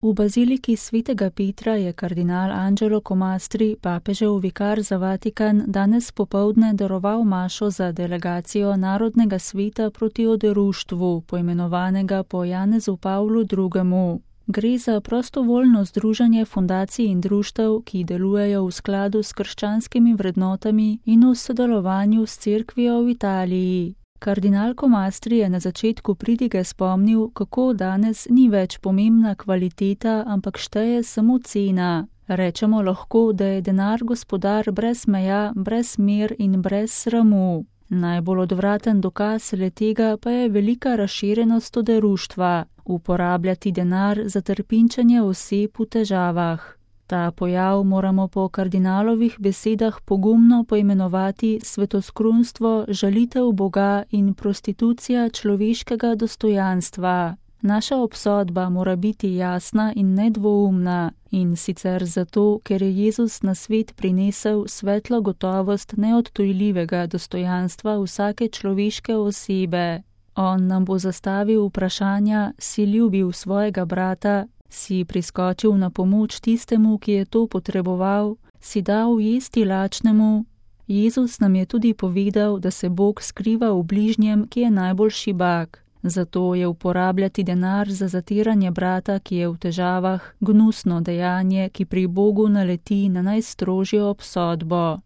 V baziliki svetega Petra je kardinal Angelo Comastri, papežev vikar za Vatikan, danes popoldne daroval mašo za delegacijo Narodnega sveta proti oderuštvu, poimenovanega po Janezu Pavlu II. Gre za prostovoljno združenje fundacij in društev, ki delujejo v skladu s krščanskimi vrednotami in v sodelovanju s cerkvijo v Italiji. Kardinal Comastri je na začetku pridige spomnil, kako danes ni več pomembna kvaliteta, ampak šteje samo cena. Rečemo lahko, da je denar gospodar brez meja, brez mer in brez sramu. Najbolj odvraten dokaz le-tega pa je velika razširjenost oderuštva, uporabljati denar za trpinčenje oseb v težavah. Ta pojav moramo po kardinalovih besedah pogumno poimenovati svetoskrunstvo, žalitev Boga in prostitucija človeškega dostojanstva. Naša obsodba mora biti jasna in nedvoumna, in sicer zato, ker je Jezus na svet prinesel svetlo gotovost neodtujljivega dostojanstva vsake človeške osebe. On nam bo zastavil vprašanja, si ljubil svojega brata, si priskočil na pomoč tistemu, ki je to potreboval, si dal jesti lačnemu. Jezus nam je tudi povedal, da se Bog skriva v bližnjem, ki je najbolj šibak. Zato je uporabljati denar za zatiranje brata, ki je v težavah, gnusno dejanje, ki pri Bogu naleti na najstrožjo obsodbo.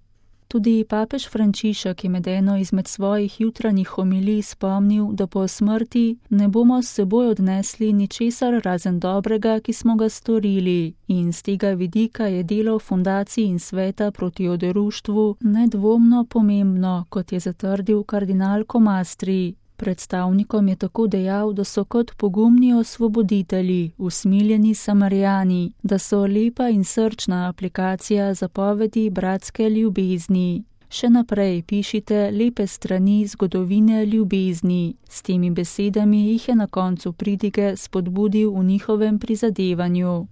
Tudi papež Frančišek je med eno izmed svojih jutranjih homilij spomnil, da po smrti ne bomo s seboj odnesli ničesar razen dobrega, ki smo ga storili, in z tega vidika je delo fundacij in sveta proti oderuštvu nedvomno pomembno, kot je zatrdil kardinal Comastri. Predstavnikom je tako dejal, da so kot pogumni osvoboditelji, usmiljeni Samarijani, da so lepa in srčna aplikacija zapovedi bratske ljubezni. Še naprej pišite lepe strani zgodovine ljubezni. S temi besedami jih je na koncu pridige spodbudil v njihovem prizadevanju.